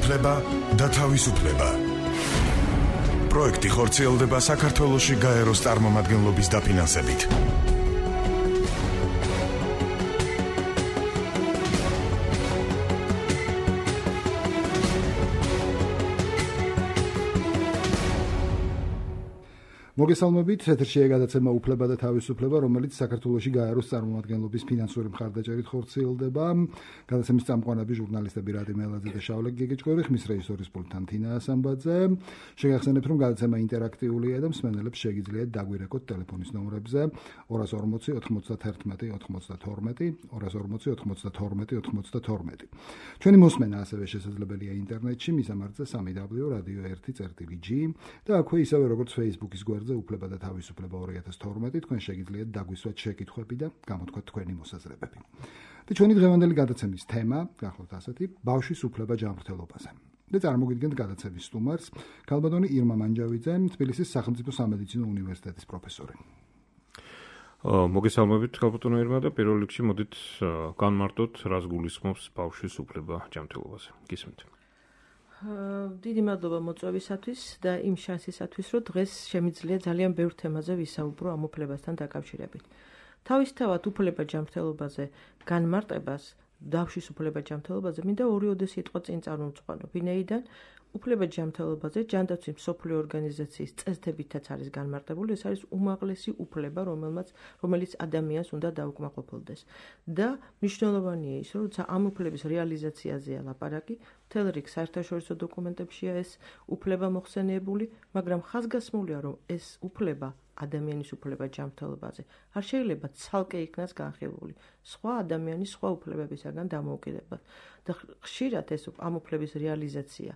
უფლება და თავისუფლება. პროექტი ხორციელდება საქართველოში გაეროს წარმომადგენლობის დაფინანსებით. მოგესალმებით, ეთერშია გადაცემა უფლება და თავისუფლება, რომელიც საქართველოში გაეროს წარმომადგენლობის ფინანსური მხარდაჭერით ხორციელდება. გადაცემის წამყვანები ჟურნალისტები რადიმ ელაძე და შავლე გეგეჭკვერი, ხმის რეჟისორის პულტთან თინა ასამბაძე. შეგახსენებთ, რომ გადაცემა ინტერაქტიულია და მსმენელებს შეგიძლიათ დაგვირეკოთ ტელეფონის ნომრებზე 240 91 92, 240 92 92. ჩვენი მოსმენა ასევე შესაძლებელია ინტერნეტში, მისამართზე www.radio1.gr და აქვე ისევე როგორც Facebook-ის გვერდზე უფლება და თავისუფლება 2012, თქვენ შეგიძლიათ დაგვისვათ შეკითხვები და გამოთქვათ თქვენი მოსაზრებები. და ჩვენი დღევანდელი გადაცემის თემა გახლავთ ასეთი: ბავშვის უფლება ჯანმრთელობაზე. და წარმოგიდგენთ გადაცემის სტუმარს, ქალბატონი ირმა მანჯავიძე, თბილისის სახელმწიფო სამედიცინო უნივერსიტეტის პროფესორი. მოგესალმებით, ქალბატონო ირმა, და პირველ რიგში მოდით განმარტოთ, რას გულისხმობს ბავშვის უფლება ჯანმრთელობაზე. გისმენთ. დიდი მადლობა მოწვევისათვის და იმ შანსისათვის, რომ დღეს შემიძლია ძალიან ბევრ თემაზე ვისაუბრო ამ უფლებასთან დაკავშირებით. თავისთავად უფლება ჯანმრთელობაზე განმარტებას, ბავშვის უფლება ჯანმრთელობაზე მინდა ორი სიტყვა წინ წარმოვიწყო. ვინაიდან უფლება ჯანმრთელობაზე ჯანდაცვის მსოფლიო ორგანიზაციის წესდებითაც არის განმარტებული, ეს არის უმაღლესი უფლება, რომელიც ადამიანს უნდა დაუკმაყოფილდეს. და მნიშვნელოვანია ის, რომ როცა ამ უფლების რეალიზაციაზეა ლაპარაკი, მთელ რიგ საერთაშორისო დოკუმენტებშია ეს უფლება მოხსენიებული, მაგრამ ხაზგასმულია, რომ ეს უფლება ადამიანის უფლება ჯანმრთელობაზე არ შეიძლება ცალკე იქნას განხილული სხვა ადამიანის სხვა უფლებებისაგან დამოუკიდებლად. და ხშირად ეს ამ უფლების რეალიზაცია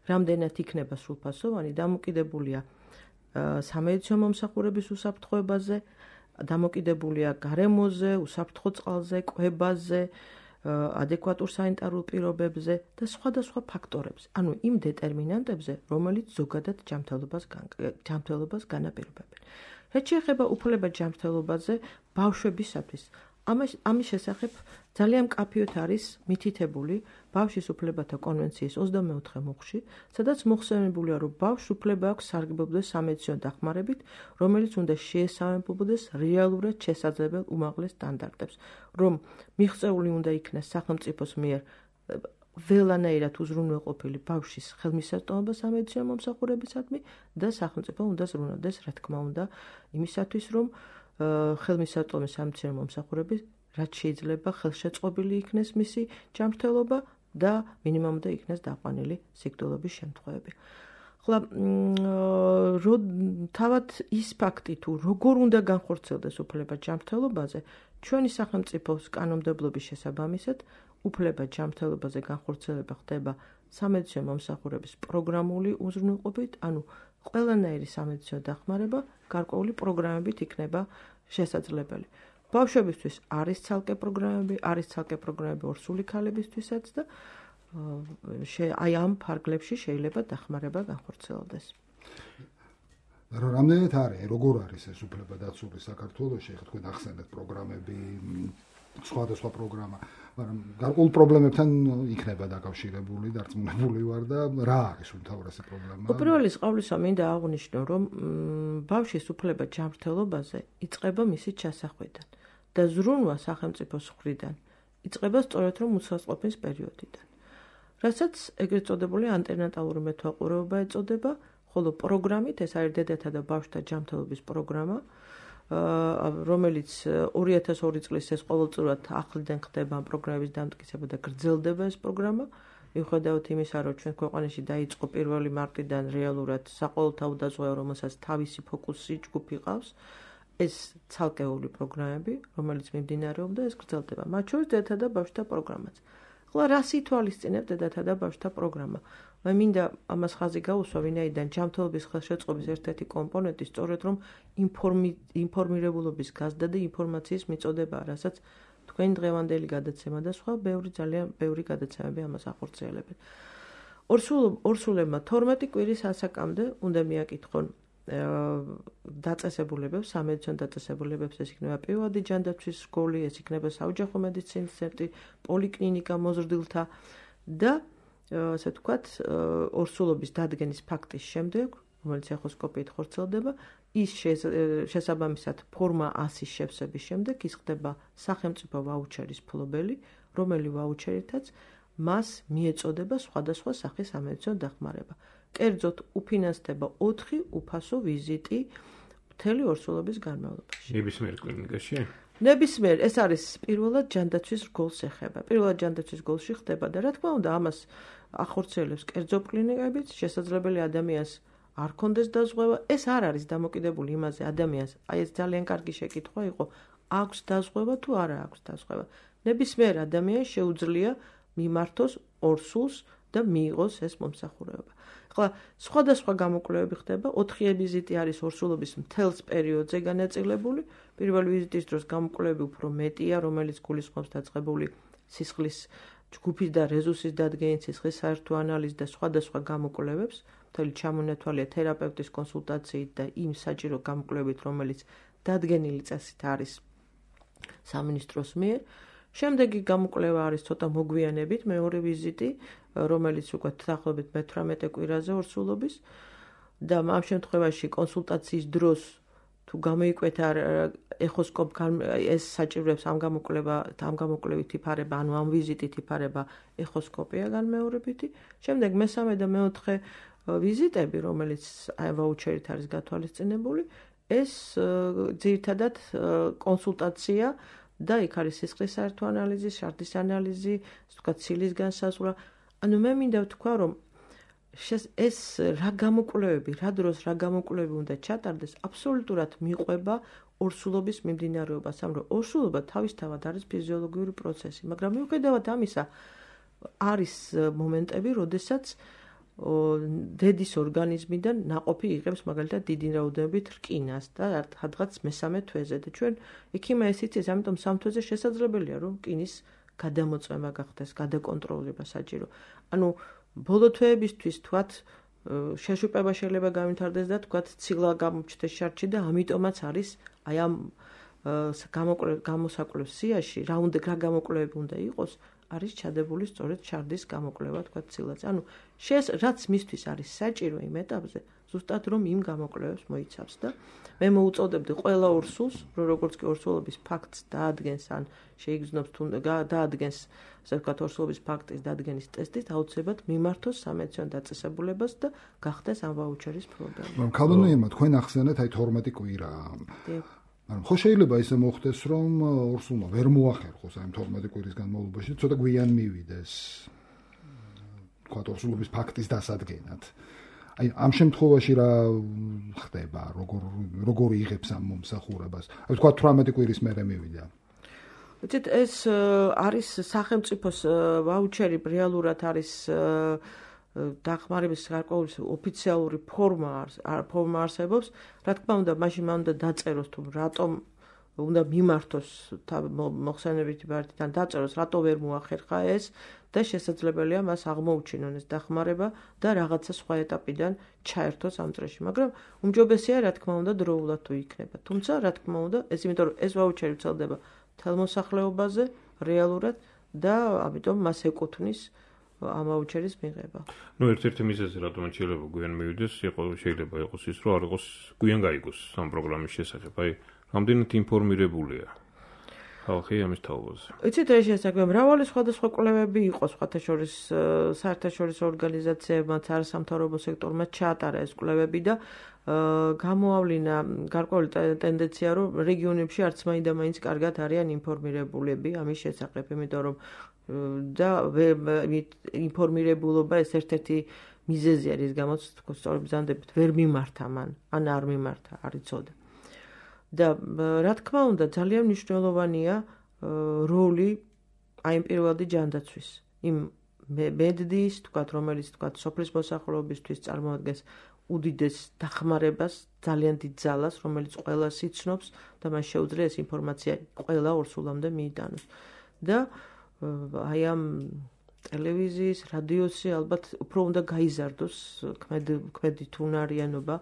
რამდენად იქნება სრულფასოვანი, დამოკიდებულია სამედიცინო მომსახურების უსაფრთხოებაზე, დამოკიდებულია გარემოზე, უსაფრთხო წყალზე, კვებაზე, ადეკვატურ სანიტარულ პირობებზე და სხვადასხვა ფაქტორებზე, ანუ იმ დეტერმინანტებზე, რომელიც ზოგადად ჯანმრთელობას განაპირობებენ. რაც შეეხება უფლება ჯანმრთელობაზე ბავშვებისათვის, ამის შესახებ ძალიან მკაფიოდ არის მითითებული ბავშვის უფლებათა კონვენციის 24 მუხლში, სადაც მოხსენებულია, რომ ბავშვს უფლება აქვს სარგებლობდეს სამედიცინო დახმარებით, რომელიც უნდა შეესაბამებოდეს რეალურად შესაძლებელ უმაღლეს სტანდარტებს, რომ მიღწეული უნდა იქნას სახელმწიფოს მიერ ველანაირად უზრუნველყოფილი ბავშვის ხელმისაწვდომობა სამედიცინო მომსახურებისადმი და სახელმწიფო უნდა ზრუნავდეს, რა თქმა უნდა, იმისათვის, რომ ხელმისაწვდომი სამედიცინო მომსახურების რაც შეიძლება ხელშეწყობილი იქნეს მისი ჯანმრთელობა და მინიმუმამდე იქნეს დაყვანილი სიკვდილობის შემთხვევები. ხოლო თავად ის ფაქტი თუ როგორ უნდა განხორციელდეს უფლება ჯანმრთელობაზე, ჩვენი სახელმწიფოს კანონმდებლობის შესაბამისად უფლება ჯანმრთელობაზე განხორციელება ხდება სამედიცინო მომსახურების პროგრამული უზრუნველყოფით, ანუ ყველანაირი სამედიცინო დახმარება გარკვეული პროგრამებით იქნება შესაძლებელი. ბავშვებისთვის არის ცალკე პროგრამები ორსული ქალებისთვისაც და აი ამ ფარგლებში შეიძლება დახმარება განხორციელდეს. რამდენად არის, როგორ არის ეს უფლება დაცული საქართველოში, ეხლა თქვენ ახსენეთ პროგრამები, სხვადასხვა პროგრამა, მაგრამ გარკვეულ პრობლემებთან იქნება დაკავშირებული, დარწმუნებული ვარ და რა არის უმთავრესი პრობლემა? უპირველეს ყოვლისა მინდა აღვნიშნო, რომ ბავშვის უფლება ჯანმრთელობაზე იწყება მისი ჩასახვიდან და ზრუნვა სახელმწიფოს მხრიდან იწყება სწორედ რომ უცხოწყობის პერიოდიდან. რასაც ეგრეთ წოდებული ანტენატალური მეთვალყურეობა ეწოდება, ხოლო პროგრამით, ეს არის დედათა და ბავშვთა ჯანმრთელობის პროგრამა, რომელიც 2002 წლის ეს ყოველწლიურად ახლიდან ხდება ამ პროგრამების დამტკიცება და გრძელდება ეს პროგრამა. მიუხედავად იმისა, რომ ჩვენ ქვეყანაში დაიწყო 1 მარტიდან რეალურად საყოველთაო დაზღვევა, რომელსაც თავისი ფოკუსი ჯგუფი ყავს, ეს ცალკეული პროგრამები, რომელიც მიმდინარეობდა, ეს გრძელდება. მათ შორის დედათა და ბავშვთა პროგრამაც. ხოლო რას ითვალისწინებს დედათა და ბავშვთა პროგრამა? მე მინდა ამას ხაზი გაუსვა, ვინაიდან ჯანმრთელობის ხელშეწყობის ერთ-ერთი კომპონენტი სწორედ რომ ინფორმირებულობის გაზრდა და ინფორმაციის მიწოდებაა, რასაც თქვენი დღევანდელი გადაცემა და სხვა ძალიან ბევრი გადაცემები ამას ახორციელებენ. ორსულებმა 12 კვირის ასაკამდე უნდა მიაკითხონ დაწესებულებებს, სამედიცინო დაწესებულებებს, ეს იქნება პირველადი ჯანდაცვის სკოლი, ეს იქნება საოჯახო მედიცინის ცენტრი, პოლიკლინიკა მოზრდილთა და ასე ვთქვათ, ორსულობის დადგენის ფაქტის შემდეგ, რომელიც ეხოსკოპიით ხორციელდება, ის შესაბამისად ფორმა 100-ის შევსების შემდეგ ის ხდება სახელმწიფო ვაუჩერის ფლობელი, რომელი ვაუჩერითაც მას მიეწოდება სხვადასხვა სახის სამედიცინო დახმარება. კერძოდ უფინანსდება 4 უფასო ვიზიტი მთელი ორსულობის განმავლობაში. ნებისმიერ კლინიკაში? ნებისმიერ, ეს არის პირველად ჯანდაცვის რგოლს ეხება. პირველად ჯანდაცვის რგოლში ხდება და რა თქმა უნდა, ამას ახორციელებს კერძო კლინიკებიც, შესაძლებელი ადამიანს არ კონდეს დაზღვევა. ეს არ არის დამოკიდებული იმაზე ადამიანს, აი ეს ძალიან კარგი შეკითხვა იყო, აქვს დაზღვევა თუ არა აქვს დაზღვევა. ნებისმიერ ადამიანს შეუძლია მიმართოს ორსულს და მიიღოს ეს მომსახურება. ახლა სხვადასხვა გამოკვლევები ხდება, 4 ვიზიტი არის ორსულობის მთელს პერიოდზე განაწილებული. პირველი ვიზიტის დროს გამოკვლევები უფრო მეტია, რომელიც გულისხმობს დაწყებული სისხლის ჯგუფის და რეზუსის დადგენით, სისხლის საერთო ანალიზს და სხვადასხვა გამოკვლევებს, მთელი ჩამონათვალია თერაპევტის კონსულტაციით და იმ საჭირო გამოკვლევით, რომელიც დადგენილი წესით არის სამინისტროს მიერ. შემდეგი გამოკვლევა არის ცოტა მოგვიანებით, მეორე ვიზიტი, რომელიც უკვე დაახლოებით მე-18 კვირაზე ორსულობის და ამ შემთხვევაში კონსულტაციის დროს თუ გამოიკვეთა ეს საჭიროებს ამ გამოკვლევით იფარება, ანუ ამ ვიზიტით იფარება ეხოსკოპია განმეორებითი. შემდეგ მესამე და მეოთხე ვიზიტები, რომელიც ვაუჩერით არის გათვალისწინებული, ეს ძირითადად კონსულტაცია და იქ არის სისხლის საერთო ანალიზი, შარდის ანალიზი, ვთქვათ, ცილის განსაზღვრა. ანუ მე მინდა ვთქვა, რომ ეს რა გამოკვლევები, რა დროს რა გამოკვლევები უნდა ჩატარდეს, აბსოლუტურად მიყვება ორსულობის მიმდინარეობას, ამიტომ ორსულობა თავისთავად არის ფიზიოლოგიური პროცესი, მაგრამ მიუხედავად ამისა, არის მომენტები, როდესაც დედის ორგანიზმიდან ნაყოფი იღებს მაგალითად დიდი რაოდენობით რკინას და რადგან მესამე თვეზე და ჩვენ ექიმა ეს იცის, ამიტომ სამ თვეზე შესაძლებელია რომ რკინის გადამოწმება გახდეს, გადაკონტროლება საჭირო. ანუ ბოლო თვეებისთვის თქვათ შეშუპება შეიძლება გამითარდეს და თქვათ ცილა გამოჩნდეს შარდში და ამიტომაც არის აი ამ გამოსაკვლევ სიაში რა გამოკვლევები უნდა იყოს არის ჩადებული სწორედ შარდის გამოკვლევა თქვათ ცილაზე. ანუ რაც მისთვის არის საჭირო იმ ეტაპზე, ზუსტად რომ იმ გამოკვლევებს მოიცავს და მე მოუწოდებდი ყველა ორსულს, რომ როგორც კი ორსულობის ფაქტს დაადგენს ან შეიგრძნობს თუ დაადგენს, ასე ვთქვათ, ორსულობის ფაქტის დადგენის ტესტით, აუცილებლად მიმართოს სამედიცინო დაწესებულებას და გახდეს ამ ვაუჩერის ფლობელი. ქალბატონო, თქვენ ახსენეთ აი 12 კვირა. ანუ ხო შეიძლება ისე მოხდეს, რომ ორსულმა ვერ მოახერხოს აი 12 კვირის განმავლობაში, ცოტა გვიან მივიდეს. თქვათ ორსულობის ფაქტის დასადგენად. აი ამ შემთხვევაში რა ხდება, როგორ იღებს ამ მომსახურებას? აი თქვათ 18 კვირის მერე მივიდა. ვიცით, ეს არის სახელმწიფოს ვაუჩერი რეალურად არის დახმარების გარკვეული ოფიციალური ფორმა არსებობს. რა თქმა უნდა, მაშინ მან უნდა დაწეროს თუ რატომ უნდა მიმართოს მოხსენებითი ბარდიდან დაწეროს, რატო ვერ მოახერხა ეს და შესაძლებელია მას აღმოუჩინონ ეს დახმარება და რაღაცა სხვა ეტაპიდან ჩაერთოს ამ წრეში, მაგრამ უმჯობესია რა თქმა უნდა დროულად თუ იქნება. თუმცა რა თქმა უნდა, ეს იმიტომ რომ ეს ვაუჩერი ვრცელდება მთელ მოსახლეობაზე რეალურად და ამიტომ მას ეკუთვნის ამ ვაუჩერის მიღება. ნუ ერთ-ერთი მიზეზი რატომ შეიძლება გვიან მივიდეს, შეიძლება იყოს ის, რომ არ იყოს გვიან გაიგოს ამ პროგრამის შესახებ. აი, რამდენად ინფორმირებულია ხალხი ამის თაობაზე. იცით, ეს შესაძლოა მრავალი სხვადასხვა კვლევები იყო, საერთაშორისო ორგანიზაციებმა, არასამთავრობო სექტორმა ჩაატარა ეს კვლევები და გამოავლინა გარკვეული ტენდენცია, რომ რეგიონებში არც მაინდა-მაინც კარგად არიან ინფორმირებულები ამის შესახებ, იმიტომ რომ და ინფორმირებულობა ეს ერთ-ერთი მიზეზია, რის გამოც სწორედ ბრძანდებით ვერ მიმართა მან, ან არ მიმართა, არ იცოდა. და რა თქმა უნდა, ძალიან მნიშვნელოვანია როლი აი ამ პირველადი ჯანდაცვის. იმ მედდის, თქვათ, რომელიც თქვათ სოფლის მოსახლეობისთვის წარმოადგენს უდიდეს დახმარებას, ძალიან დიდ ძალას, რომელიც ყველას იცნობს და მას შეუძლია ეს ინფორმაცია ყველა ორსულამდე მიიტანოს. და აი ამ ტელევიზიის, რადიოსი ალბათ უფრო უნდა გაიზარდოს ქმედით უნარიანობა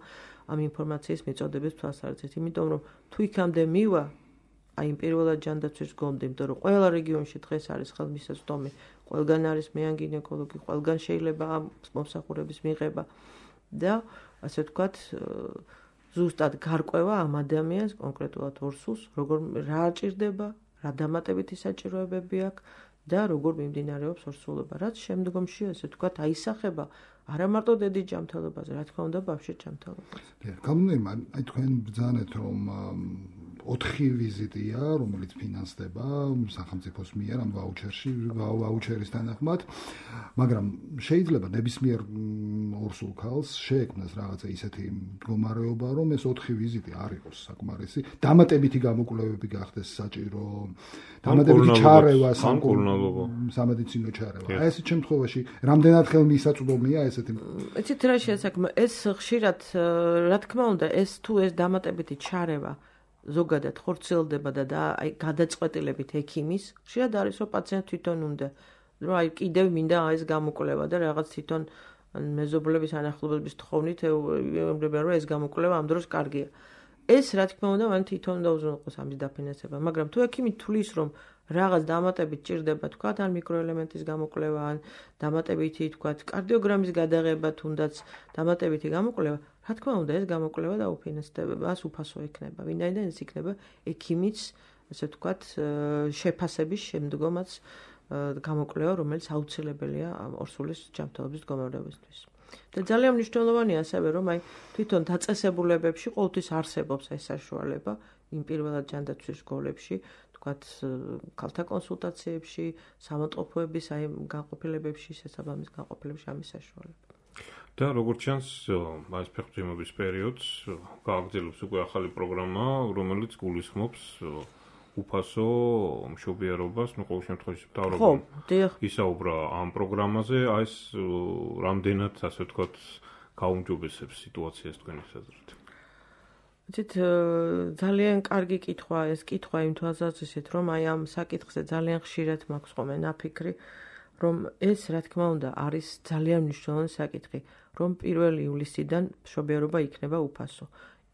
ამ ინფორმაციის მიწოდების თვალსაზრისით, იმიტომ რომ თუ იქამდე მივა, აი იმ პირველად ჯანდაცვის გონდი, იმიტომ რომ ყველა რეგიონში დღეს არის ხელმისაწვდომი, ყველგან არის მეან გინეკოლოგი, ყველგან შეიძლება ამ მომსახურების მიღება და ასე ვთქვათ, ზუსტად გარკვევა ამ ადამიანს კონკრეტულად ორსულს, რა ჭირდება, რა დამატებითი საჭიროებები აქვს და როგორ მიმდინარეობს ორსულობა, რაც შემდგომში ასე ვთქვათ აისახება არა მარტო დედის ჯანმრთელობაზე, რა თქმა უნდა, ბავშვის ჯანმრთელობაზე. გამოდიმა, აი თქვენ ბრძანეთ, რომ 4 ვიზიტია, რომელიც ფინანსდება სახელმწიფოს მიერ ამ ვაუჩერის თანახმად, მაგრამ შეიძლება ნებისმიერ ორსულ ქალს შეექმნას რაღაცა ისეთი მდგომარეობა, რომ ეს 4 ვიზიტი არ იყოს საკმარისი, დამატებითი გამოკვლევები გახდეს საჭირო, დამატებითი ჩარევა, სამედიცინო ჩარევა. აი ესეთ შემთხვევაში რამდენად ხელმისაწვდომია ესეთი? იცით რა შეასაქმე, ეს ხშირად, რა თქმა უნდა, თუ ეს დამატებითი ჩარევა ზოგადად ხორციელდება და აი გადაწყვეტილებით ექიმის, ხშირად არის რომ პაციენტ თვითონ უნდა, რომ აი კიდევ მინდა ეს გამოკვლევა და რაღაც თვითონ მეზობლების ანახლებების თხოვნით ეუბნება რომ ეს გამოკვლევა ამ დროს კარგია. ეს რა თქმა უნდა მან თვითონ უნდა უზრუნველყოს ამის დაფინანსება, მაგრამ თუ ექიმი თulis რომ რაღაც დამატებით ჭირდება თქვა ან მიკროელემენტის გამოკვლევა ან დამატებითი თქვა კარდიოგრამის გადაღება თუნდაც დამატებითი გამოკვლევა, რა თქმა უნდა ეს გამოკვლევა დაუფინანსდება, მას უფასო ექნება, ვინაიდან ეს იქნება ექიმის ასე ვთქვათ შეფასების შემდგომაც გამოკვლევა, რომელიც აუცილებელია ორსულის ჯანმრთელობის მდგომარეობისთვის. და ძალიან მნიშვნელოვანია ასევე რომ აი თვითონ დაწესებულებებში ყოველთვის არსებობს ეს საშუალება იმ პირველად ჯანდაცვის სკოლებში, თქვათ ქალთა კონსულტაციებში, სამონტყოფოების აი განყოფილებებში, შესაბამის განყოფილებებში ამის საშუალება. და როგორც ჩანს, այս ფეხბურთის პერიოდს გააგრძელებს უკვე ახალი პროგრამა, რომელიც გულისხმობს უფასო მშობიარობას, ყოველ შემთხვევაში მთავრობამ ისაუბრა ამ პროგრამაზე, აი ეს რამდენად ასე ვთქვათ გაუმჯობესებს სიტუაციას თქვენი აზრით. იცით, ძალიან კარგი კითხვა ეს კითხვა იმ თვალსაზრისით, რომ აი ამ საკითხზე ძალიან ხშირად მაქვს ხოლმე ნაფიქრი, რომ ეს რა თქმა უნდა არის ძალიან მნიშვნელოვანი საკითხი, რომ 1 ივლისიდან მშობიარობა იქნება უფასო.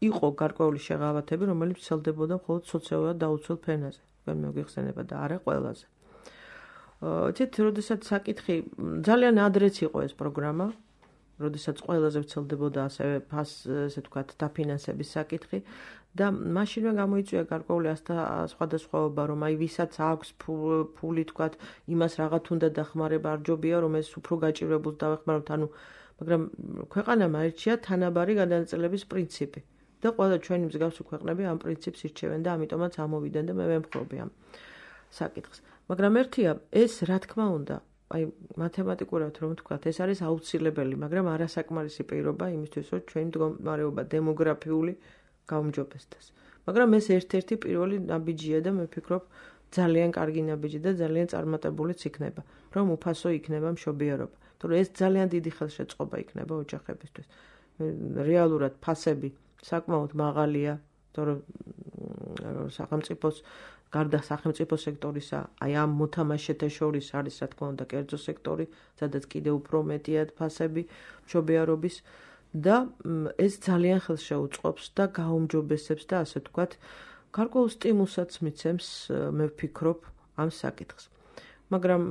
იყო გარკვეული შეღავათები, რომელიც ვრცელდებოდა მხოლოდ სოციალურად დაუცველ ფენაზე, თქვენ მოგიხსენება და არა ყველაზე. იცით, როდესაც საკითხი ძალიან ადრეც იყო ეს პროგრამა, როდესაც ყველაზე ვრცელდებოდა ასევე ასე ვთქვათ დაფინანსების საკითხი და მაშინვე გამოიწვია გარკვეული სხვადასხვაობა, რომ აი ვისაც აქვს ფული თქვათ, იმას რაღაც უნდა დახმარება არ ჯობია, რომ ეს უფრო გაჭირებულს დავეხმაროთ, ანუ მაგრამ ქვეყანამ აირჩია თანაბარი გადანაწილების პრინციპი. და ყველა ჩვენი მსგავსი ქვეყნები ამ პრინციპს ირჩევენ და ამიტომაც ამოვიდნენ და მე ვემხრობი ამ საკითხს. მაგრამ ერთია, ეს რა თქმა უნდა, აი მათემატიკურად რომ ვთქვათ, ეს არის აუცილებელი, მაგრამ არასაკმარისი პირობა იმისთვის, რომ ჩვენი მდგომარეობა დემოგრაფიული გაუმჯობესდეს. მაგრამ ეს ერთ-ერთი პირველი ნაბიჯია და მე ვფიქრობ, ძალიან კარგი ნაბიჯი და ძალიან წარმატებულიც იქნება, რომ უფასო იქნება მშობიარობა. თორე ეს ძალიან დიდი ხელშეწყობა იქნება ოჯახებისთვის. რეალურად ფასები საკმაოდ მაღალია, თორე სახელმწიფოს გარდა სახელმწიფო სექტორისა, აი ამ მოთამაშეთა შორის არის რა თქმა უნდა კერძო სექტორი, სადაც კიდევ უფრო მეტია ფასები მშობიარობის და ეს ძალიან ხელს შეუწყობს და გაუმჯობესებს და ასე ვთქვათ, გარკვეულ სტიმულსაც მიცემს, მე ვფიქრობ, ამ საკითხს. მაგრამ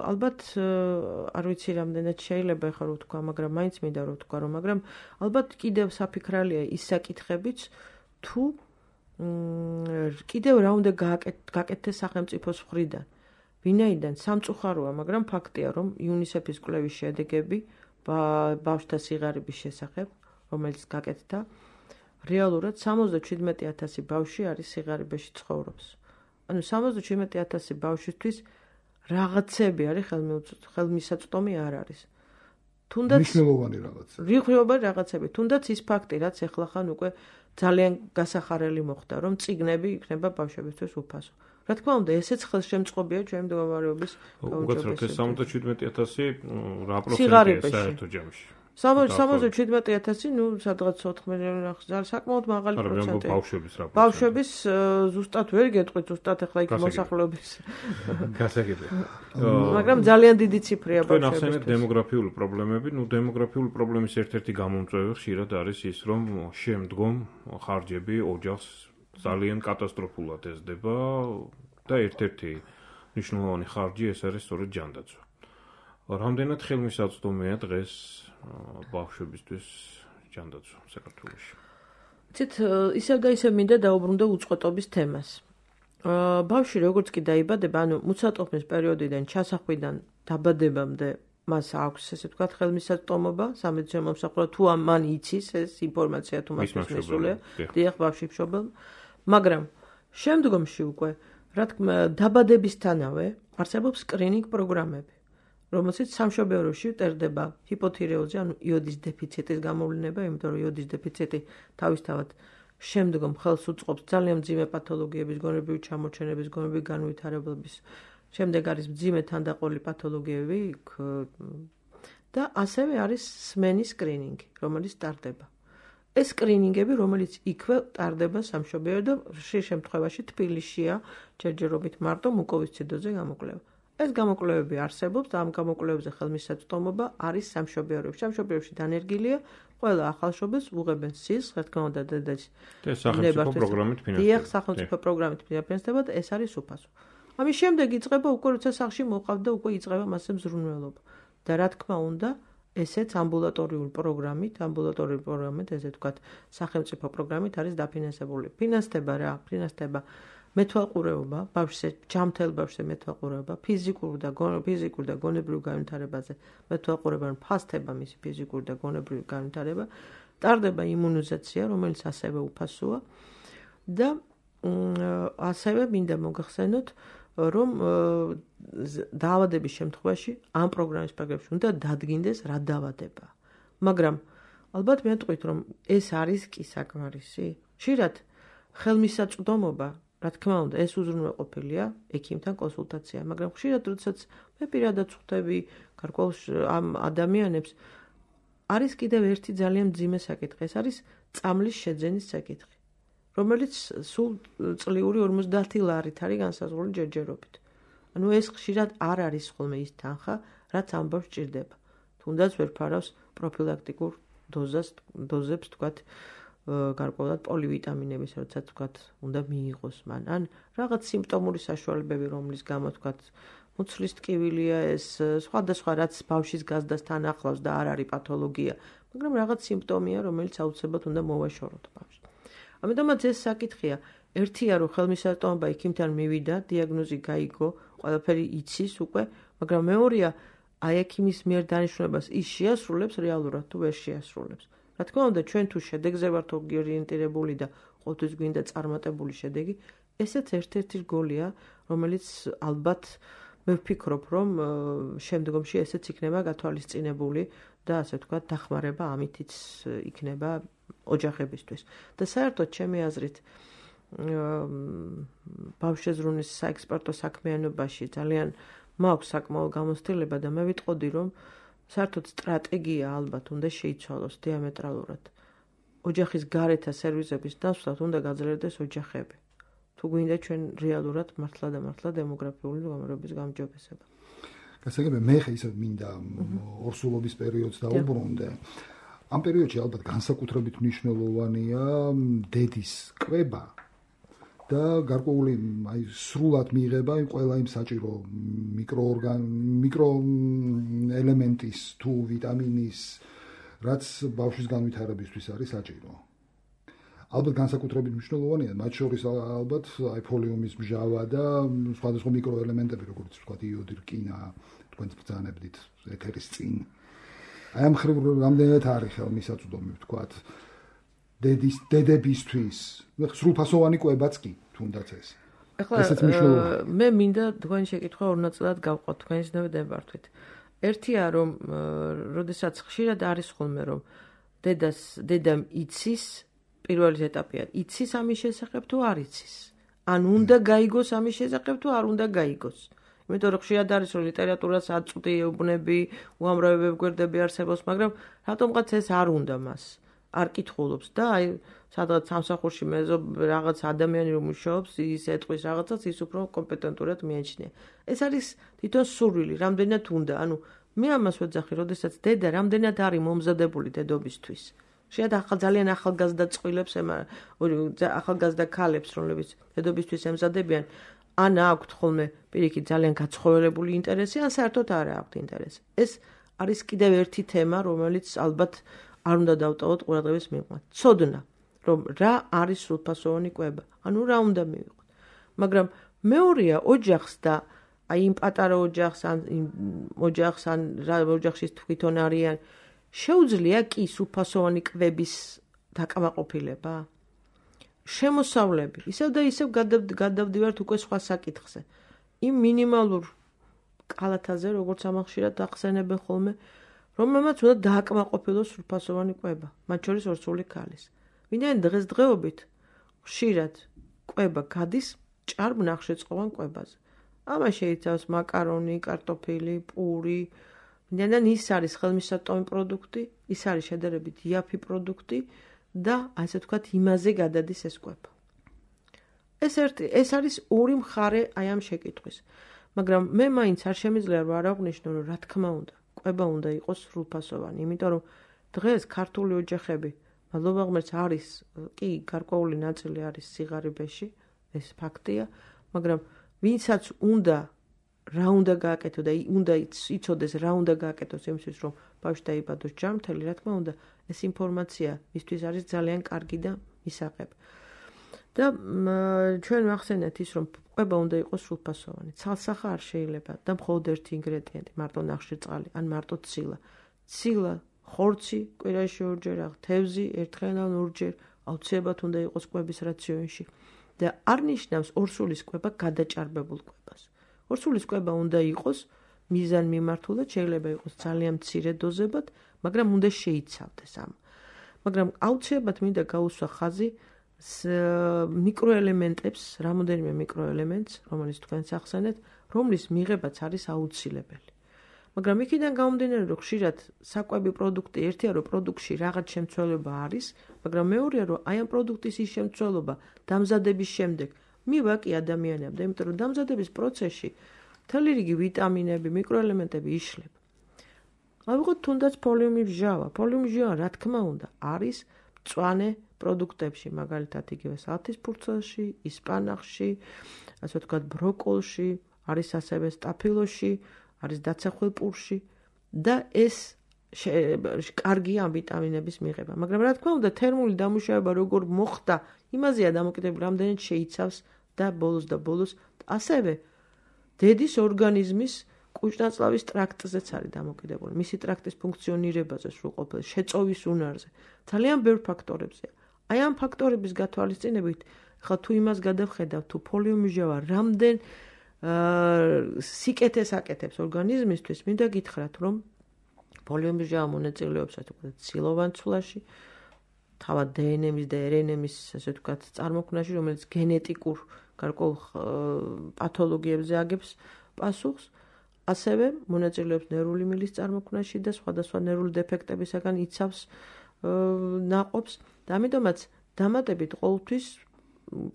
ალბათ არ ვიცი რამდენად შეიძლება ახლა რომ ვთქვა, მაგრამ მაინც მინდა რომ ვთქვა, რომ მაგრამ ალბათ კიდევ საფიქრალია ის საკითხებიც, თუ კიდევ რა უნდა გაკეთდეს სახელმწიფოს მხრიდან. ვინაიდან სამწუხაროა, მაგრამ ფაქტია, რომ იუნისეფის კვლევის შედეგები ბავშვთა სიღარიბის შესახებ, რომელიც გაკეთდა, რეალურად 77,000 ბავშვი არის სიღარიბეში ცხოვრობს. ანუ 77,000 ბავშვისთვის რაღაცები არის ხელმისაწვდომი არ არის. თუნდაც მნიშვნელოვანი რაღაცა. მნიშვნელოვანი რაღაცები, თუნდაც ის ფაქტი, რაც ეხლა ხან უკვე ძალიან გასახარელი მოხდა, რომ წიგნები იქნება ბავშვებისთვის უფასო. რა თქმა უნდა, ესეც ხელშემწყობია ჩვენი მდგომარეობის გაუმჯობესებას. 77,000 რა პროცენტია საერთო ჯამში? 77,000, ну, სადღაც 4 მილიონი ახლა საკმაოდ მაღალი პროცენტია. ბავშვების ზუსტად ვერ გეტყვით, ზუსტად ახლა იქ მოსახლეობის. გასაგებია. მაგრამ ძალიან დიდი ციფრია ბავშვების. თქვენ ახსენეთ დემოგრაფიული პრობლემები, ну, დემოგრაფიული პრობლემის ერთ-ერთი გამომწვევი ხშირად არის ის, რომ შემდგომ ხარჯები ოჯახს ძალიან კატასტროფულად ეზდება და ერთ-ერთი მნიშვნელოვანი ხარჯი ეს არის სწორედ ჯანდაცვა. რამდენად ხელმისაწვდომია დღეს ბავშვებისთვის ჯანდაცვა საქართველოში? ცით ისევ და ისევ მინდა დაუბრუნდე უწყვეტობის თემას. ბავშვი როგორც კი დაიბადება, ანუ მუცატოფნის პერიოდიდან ჩასახვიდან დაბადებამდე მას აქვს ესე ვთქვათ ხელმისაწვდომობა, სამედიცინო მომსახურე თუ მან იცის ეს ინფორმაცია თუ მას მისულია, დიახ ბავშვი მშობელმა, მაგრამ შემდგომში უკვე რა თქმა დაბადებისთანავე არსებობს სკრინინგ პროგრამები, რომელშიც სამშობლოში წერდება ჰიპოთირეოზი, ანუ იოდის დეფიციტის გამოვლინება, იმიტომ რომ იოდის დეფიციტი თავისთავად შემდგომ ხელს უწყობს ძალიან მძიმე პათოლოგიების, გონებრივი ჩამორჩენების, გონებრივი განვითარებების, შემდეგ არის მძიმე თანდაყოლი პათოლოგიები და ასევე არის სმენის სკრინინგი, რომელიც ტარდება. ეს სკრინინგები, რომელიც იქვე ტარდება სამშობლოში და ხშირ შემთხვევაში თბილისშია ჯერჯერობით მარტო მუკოვისციდოზე გამოკვლევა. ეს გამოკვლევები არსებობს და ამ გამოკვლევებზე ხელმისაწვდომობა არის სამშობლოში. სამშობლოში დანერგილია ყველა ახალშობილს უღებენ სისხლს, რა თქმა უნდა, დედაც. სახელმწიფო პროგრამით ფინანსდება. დიახ, სახელმწიფო პროგრამით ფინანსდება და ეს არის უფასო. ამის შემდეგ იწყება უკვე როცა სახლში მოყავთ და უკვე იწყება მასზე მზრუნველობა. და რა თქმა უნდა, ესეც ამბულატორიული პროგრამით, ესე ვთქვათ, სახელმწიფო პროგრამით არის დაფინანსებული. ფინანსდება რა? ფინანსდება მეთვალყურეობა, ბავშვზე, ჯამთელ ბავშვზე მეთვალყურეობა, ფიზიკურ და გონებრივ განვითარებაზე მეთვალყურეობა, ფასდება მისი ფიზიკური და გონებრივი განვითარება, ტარდება იმუნიზაცია, რომელიც ასევე უფასოა და ასევე მინდა მოგახსენოთ, რომ დაავადების შემთხვევაში ამ პროგრამის პაგრებში უნდა დადგინდეს რა დაავადება. მაგრამ ალბათ მეთქვით, რომ ეს არის კი საკმარისი. ხშირად ხელმისაწვდომობა, რა თქმა უნდა, ეს უზრუნველყოფილია ექიმთან კონსულტაცია, მაგრამ ხშირად როდესაც მე პირადად ხვდები გარკვეულ ამ ადამიანებს, არის კიდევ ერთი ძალიან მძიმე საკითხი, ეს არის წამლის შეძენის საკითხი, რომელიც სულ წლიური 50 ლარით არის განსაზღვრული ჯერჯერობით. ანუ ეს ხშირად არ არის ხოლმე ის თანხა, რაც ამ ბავშვს ჭირდება. თუნდაც ვერ ფარავს პროფილაქტიკურ დოზებს, თქვათ, გარკვეულად პოლივიტამინების, როდესაც თქვათ, უნდა მიიღოს მან. ან რაღაც სიმპტომური საშუალებები, რომლის გამო თქვათ, მუცლის ტკივილია ეს, სხვადასხვა რაც ბავშვის გაზრდასთან ახლავს და არ არის პათოლოგია, მაგრამ რაღაც სიმპტომია, რომელიც აუცილებლად უნდა მოვაშოროთ ბავშვს. ამიტომაც ეს საკითხია. ერთია, რომ ხელმისაწვდომობა ექიმთან მივიდა, დიაგნოზი გაიგო, ყველაფერი იცის უკვე, მაგრამ მეორეა, აი ექიმის მიერ დანიშნულებას ის შეასრულებს რეალურად თუ ვერ შეასრულებს. რა თქმა უნდა, ჩვენ თუ შედეგზე ვართ ორიენტირებული და ყოველთვის გვინდა წარმატებული შედეგი, ესეც ერთ-ერთი რგოლია, რომელიც ალბათ მე ვფიქრობ, რომ შემდგომში ესეც იქნება გათვალისწინებული და ასე ვთქვათ, დახმარება ამითიც იქნება ოჯახებისთვის. და საერთოდ ჩემი აზრით ბავშვეზრუნის საექსპერტო საქმიანობაში ძალიან მაქვს საკმაო გამოცდილება და მე ვიტყოდი, რომ საერთოდ სტრატეგია ალბათ უნდა შეიცვალოს დიამეტრალურად. ოჯახის გარეთა სერვისების დასვლად უნდა გაძლიერდეს ოჯახები. თუ გვინდა ჩვენ რეალურად მართლა დემოგრაფიული გამარჯვების გამჯობესება. გასაგებია, მე ხე ისე მინდა ორსულობის პერიოდს დაუბრუნდე. ამ პერიოდში ალბათ განსაკუთრებით მნიშვნელოვანია დედის კვება და გარკვეული აი სრულად მიიღება ყველა იმ საჭირო მიკროელემენტის თუ ვიტამინის, რაც ბავშვის განვითარებისთვის არის საჭირო. ალბათ განსაკუთრებით მნიშვნელოვანია, მათ შორის ალბათ აი ფოლიუმის მჟავა და სხვადასხვა მიკროელემენტები, როგორც ვთქვათ, იოდი, რკინა, თქვენც ბრძანებდით ეთერის წინ. აი ამ ხრივ რამდენად არის ხელმისაწვდომი, ვთქვათ, დედებისთვის, სრულფასოვანი კვებაც კი, თუნდაც ეს. ესეც მნიშვნელოვანია. მე მინდა თქვენი შეკითხვა ორ ნაწილად გავყოთ თქვენის ნებართვით. ერთია, რომ როდესაც ხშირად არის ხოლმე, რომ დედამ იცის, პირველი ეტაპია, იცის ამის შესახებ თუ არ იცის. ან უნდა გაიგოს ამის შესახებ თუ არ უნდა გაიგოს. იმიტომ რომ ხშირად არის, რომ ლიტერატურას აწვდიებნები, უამრავი გვერდები არსებობს, მაგრამ რატომღაც ეს არ უნდა მას. არ კითხულობს და აი სადღაც სამსახურში რაღაც ადამიანი რომ მუშაობს, ის ეტყვის რაღაცას, ის უფრო კომპეტენტურად მიაჩნია. ეს არის თვითონ სურვილი, რამდენად უნდა. ანუ მე ამას ვეძახი, როდესაც დედა რამდენად არის მომზადებული დედობისთვის. შეიძლება ძალიან ახალგაზრდა წყვილებს, ახალგაზრდა ქალებს, რომლებიც დედობისთვის ემზადებიან, ან აქვთ ხოლმე პირიქით ძალიან გაცხოველებული ინტერესი, ან საერთოდ არ აქვთ ინტერესი. ეს არის კიდევ ერთი თემა, რომელიც ალბათ არ უნდა დავტოვოთ ყურადღების მიღმა. ცოდნა, რომ რა არის სრულფასოვანი კვება, ანუ რა უნდა მივიღოთ. მაგრამ მეორეა ოჯახს და აი იმ პატარა ოჯახს ან ოჯახს ან რა ოჯახში თვითონ არიან შეუძლია კი სრულფასოვანი კვების დაკმაყოფილება? შემოსავლები. ისევ და ისევ გადავდივართ უკვე სხვა საკითხზე. იმ მინიმალურ კალათაზე, როგორც ამახშირად ახსენებენ ხოლმე, რომელმაც უნდა დააკმაყოფილოს სრულფასოვანი კვება, მათ შორის ორსული ქალის. ვინაიდან დღესდღეობით ხშირად კვება გადის ჭარბ ნახშირწყლოვან კვებაზე. ამას შეიცავს მაკარონი, კარტოფილი, პური. ვინაიდან ის არის ხელმისაწვდომი პროდუქტი, ის არის შედარებით იაფი პროდუქტი და ასე ვთქვათ, იმაზე გადადის ეს კვება. ეს არის ორი მხარე აი ამ შეკითხვის. მაგრამ მე მაინც არ შემიძლია რომ არ აღვნიშნო, რომ რა თქმა უნდა, კვება უნდა იყოს სრულფასოვანი, იმიტომ რომ დღეს ქართული ოჯახები, მადლობა ღმერთს, არის კი გარკვეული ნაწილი არის სიღარიბეში, ეს ფაქტია, მაგრამ ვინცაც უნდა რა უნდა გააკეთო და უნდა იცოდეს რა უნდა გააკეთოს იმისთვის რომ ბავშვი დაიბადოს ჯანმრთელი, რა თქმა უნდა, ეს ინფორმაცია მისთვის არის ძალიან კარგი და მისაღები. და ჩვენ ვახსენეთ ის რომ კვება უნდა იყოს სრულფასოვანი. ცალსახა არ შეიძლება და მხოლოდ ერთი ინგრედიენტი, მარტო ნახშირწყალი ან მარტო ცილა. ცილა, ხორცი, კვირაში ორჯერ, თევზი, ერთხელ ან ორჯერ აუცილებლად უნდა იყოს კვების რაციონში. და არ ნიშნავს ორსულის კვება გადაჭარბებულ კვებას. ორსულის კვება უნდა იყოს მიზანმიმართულად, შეიძლება იყოს ძალიან მცირე დოზებად, მაგრამ უნდა შეიცავდეს ამ. მაგრამ აუცილებლად მინდა გაუსვა ხაზი მიკროელემენტებს, რამოდენიმე მიკროელემენტს, რომელიც თქვენს ახსენეთ, რომლის მიღებაც არის აუცილებელი. მაგრამ იქიდან გამომდინარე, რომ ხშირად საკვები პროდუქტი ერთია, რომ პროდუქტში რაღაც შემცველობა არის, მაგრამ მეორეა, რომ აი ამ პროდუქტის ის შემცველობა დამზადების შემდეგ მივა კი ადამიანებდა, იმიტომ რომ დამზადების პროცესში მთელი რიგი ვიტამინები, მიკროელემენტები იშლება. ავიღოთ თუნდაც პოლიომიბჟავა. პოლიომიბჟავა, რა თქმა უნდა, არის მწვანე პროდუქტებში, მაგალითად იგივე სალათის ფურცელში, ისპანახში, ასე ვთქვათ, ბროკოლში, არის ასევე სტაფილოში, არის დაცახვილ პურში და ეს კარგია ამ ვიტამინების მიღება. მაგრამ რა თქმა უნდა, თერმული დამუშავება როგორ მოხდა, იმაზეა დამოკიდებული, რამდენად შეიცავს და ბოლოს ასევე დედის ორგანიზმის კუჭნაწლავის ტრაქტზეც არის დამოკიდებული. მისი ტრაქტის ფუნქციონირებაზე სრულყოფილ შეწოვის უნარზე. ძალიან ბევრ ფაქტორებზეა. აი ამ ფაქტორების გათვალისწინებით, ხა თუ იმას გადავხედავ, თუ პოლიომიჟავა რამდენ სიკეთეს აკეთებს ორგანიზმისთვის, მინდა გითხრათ, რომ პოლიომიჟავა მონაწილეობს, ასე ვთქვათ, ცილოვან ცვლაში, თავად დნმ-ის და რნმ-ის, ასე ვთქვათ, წარმოქმნაში, რომელიც გენეტიკურ გარკვეულ პათოლოგიებზე აგებს პასუხს, ასევე მონაწილეობს ნერვული მილის წარმოქმნაში და სხვადასხვა ნერვული დეფექტებისაგან იცავს ნაყოფს და ამიტომაც დამატებით ყოველთვის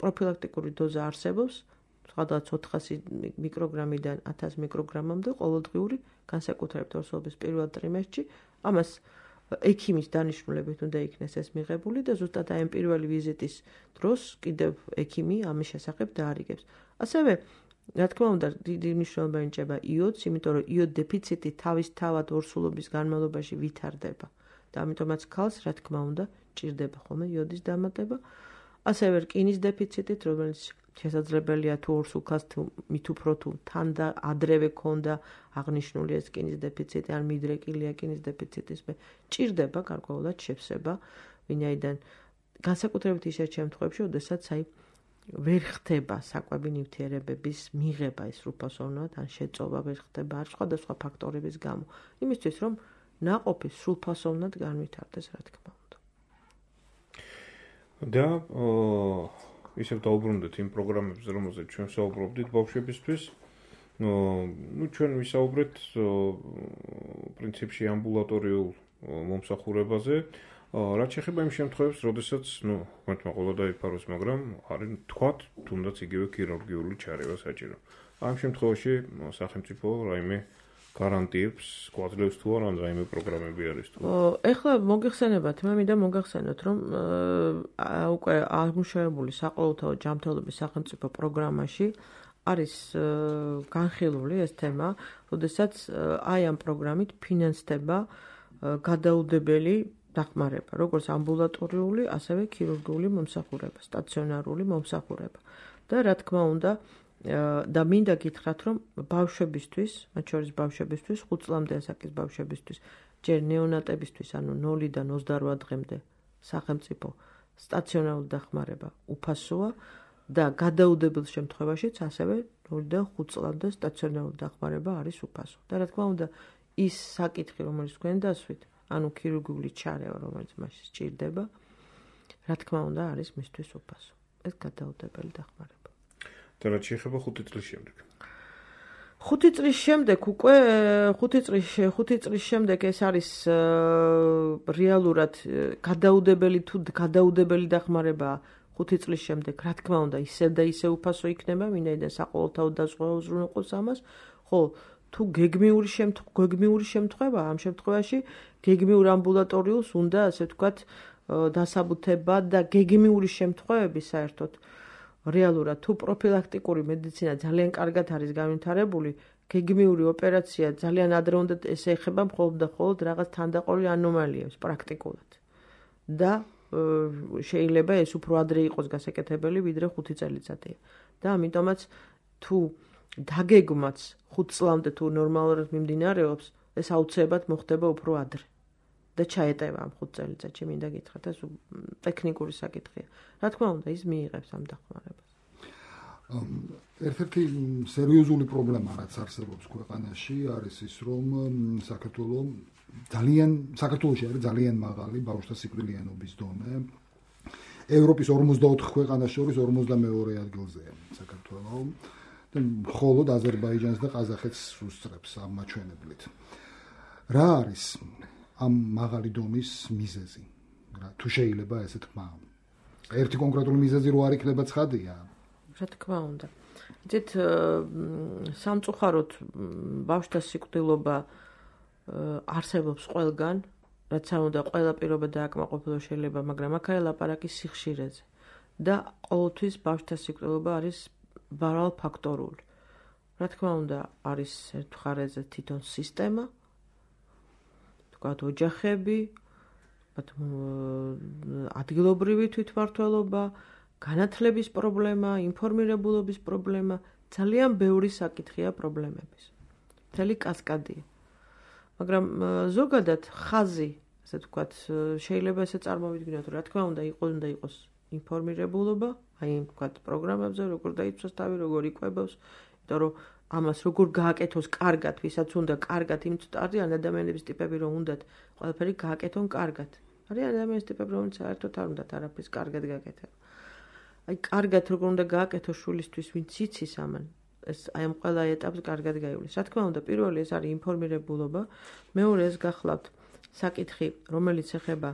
პროფილაქტიკური დოზა არსებობს, სხვადასხვა 400 მიკროგრამიდან 1000 მიკროგრამამდე ყოველდღიური, განსაკუთრებით ორსულობის პირველ ტრიმესტრში. ამას ექიმის დანიშნულებით უნდა იქნეს ეს მიღებული და ზუსტად აი ამ პირველი ვიზიტის დროს კიდევ ექიმი ამის შესახებ დაარიგებს. ასევე რა თქმა უნდა, დიდი მნიშვნელობა ენიჭება იოდს, იმიტომ რომ იოდ დეფიციტი თავისთავად ორსულობის განმავლობაში ვითარდება და ამიტომაც ქალს, რა თქმა უნდა, ჭირდება ხოლმე იოდის დამატება. ასევე რკინის დეფიციტით, რომელიც შესაძლებელია თუ ორსულ ქალს მით უფრო თუ თან და ადრევე ქონდა აღნიშნული ეს რკინის დეფიციტი, ან მიდრეკილია რკინის დეფიციტის მე ჭირდება გარკვეულად შევსება, ვინაიდან განსაკუთრებით ისეთ შემთხვევებში, როდესაც აი ვერ ხდება საკვები ნივთიერებების მიღება ის სრულფასოვნად, ან შეწოვა ვერ ხდება არ სხვადასხვა ფაქტორების გამო. იმისთვის რომ ნაყოფი სრულფასოვნად განვითარდეს, რა თქმა უნდა. და ისევ დავუბრუნდეთ იმ პროგრამებზე, რომელზეც ჩვენ საუბრობდით ბავშვებისთვის. ჩვენ ვისაუბრეთ პრინციპში ამბულატორიულ მომსახურებაზე. რაც შეეხება იმ შემთხვევებს, როდესაც, ღმერთმა ყოლა დაიფაროს, მაგრამ არის თქვათ, თუნდაც იგივე ქირურგიული ჩარევა საჭირო. ამ შემთხვევაში სახელმწიფო რაიმე გარანტიებს გვაძლევს თუ არა რაიმე პროგრამები არის თუ ეხლა მოგიხსენებათ მე მინდა მოგახსენოთ რომ უკვე აღმოჩენებული საყოველთაო ჯანმრთელობის სახელმწიფო პროგრამაში არის განხილული ეს თემა, როდესაც აი ამ პროგრამით ფინანსდება გადაუდებელი დახმარება, როგორც ამბულატორიული, ასევე ქირურგიული მომსახურება, სტაციონარული მომსახურება. და რა თქმა უნდა, და მინდა გითხრათ, რომ ბავშვებისთვის, მათ შორის ბავშვებისთვის, 5 წლამდე ასაკის ბავშვებისთვის, ჯერ ნეონატებისთვის, ანუ 0-დან 28 დღემდე სახელმწიფო სტაციონარული დახმარება უფასოა და გადაუდებელ შემთხვევაშიც ასევე 0-დან 5 წლამდე სტაციონარული დახმარება არის უფასო. და რა თქმა უნდა, ის საკითხი, რომელიც თქვენ დასვით, ანუ ქირურგიული ჩარევა, რომელიც მასში სჭირდება, რა თქმა უნდა, არის მისთვის უფასო. ეს გადაუდებელი დახმარება. და რაც შეეხება 5 წლის შემდეგ. 5 წლის შემდეგ უკვე 5 წლის შემდეგ ეს არის რეალურად გადაუდებელი დახმარება 5 წლის შემდეგ, რა თქმა უნდა, ისევ და ისევ უფასო იქნება, ვინაიდან საყოველთაო დაზღვევა უზრუნველყოფს ამას, ხო, თუ გეგმიური შემთხვევა, ამ შემთხვევაში გეგმიურ ამბულატორიულს უნდა, ასე ვთქვათ, დასაბუთება და გეგმიური შემთხვევები საერთოდ რეალურად თუ პროფილაქტიკური მედიცინა ძალიან კარგად არის განვითარებული, გეგმიური ოპერაცია ძალიან ადრე უნდა ეს ეხება მხოლოდ და მხოლოდ რაღაც თანდაყოლი ანომალიებს პრაქტიკულად. და შეიძლება ეს უფრო ადრე იყოს გასაკეთებელი, ვიდრე 5 წელიწადია. და ამიტომაც თუ დაგეგმაც 5 წლამდე თუ ნორმალურად მიმდინარეობს, ეს აუცილებლად მოხდება უფრო ადრე. და ჩაეტევა ამ 5 წელიწადში, მინდა გითხრათ, ეს ტექნიკური საკითხია. რა თქმა უნდა, ის მიიღებს ამ დახმარებას. ერთ-ერთი სერიოზული პრობლემა, რაც არსებობს ქვეყანაში, არის ის, რომ საქართველოში არის ძალიან მაღალი ბავშვთა სიკვდილიანობის დონე. ევროპის 44 ქვეყანას შორის 42 ადგილზეა საქართველო. და მხოლოდ აზერბაიჯანს და ყაზახეთს უსწრებს ამ მაჩვენებლით. რა არის ამ მაღალი დონის მიზეზი? თუ შეიძლება ესე თქვა. ერთი კონკრეტული მიზეზი რო არ იქნება ცხადია. რა თქმა უნდა. იცით, სამწუხაროდ ბავშვთა სიკვდილობა არსებობს ყველგან, რაც არ უნდა ყველა პირობა დააკმაყოფილო შეიძლება, მაგრამ აქ არის ლაპარაკი სიხშირეზე. და ყოველთვის ბავშვთა სიკვდილობა არის მრავალფაქტორული. რა თქმა უნდა, არის ერთ მხარეზე თვითონ სისტემა, თქვათ ოჯახები, ადგილობრივი თვითმმართველობა, განათლების პრობლემა, ინფორმირებულობის პრობლემა, ძალიან ბევრი საკითხია პრობლემების. მთელი კასკადია. მაგრამ ზოგადად ხაზი, ასე ვთქვათ, შეიძლება ესე წარმოვიდგინოთ, რა თქმა უნდა, უნდა იყოს ინფორმირებულობა, აი, ვთქვათ, პროგრამებზე, როგორ დაიცვას თავი, როგორ იკვებავს, იმიტომ რომ ამას როგორ გააკეთოს კარგად, ვისაც უნდა კარგად, იმიტომ არიან ადამიანების ტიპები, რომ უნდათ ყველაფერი გააკეთონ კარგად. არიან ადამიანების ტიპები, რომელიც საერთოდ არ უნდათ არაფრის კარგად გააკეთონ. აი, კარგად როგორ უნდა გააკეთოს შვილისთვის, ვინც იცის ამან, ეს აი ამ ყველა ეტაპს კარგად გაივლის. რა თქმა უნდა, პირველი ეს არის ინფორმირებულობა, მეორე ეს გახლავთ საკითხი, რომელიც ეხება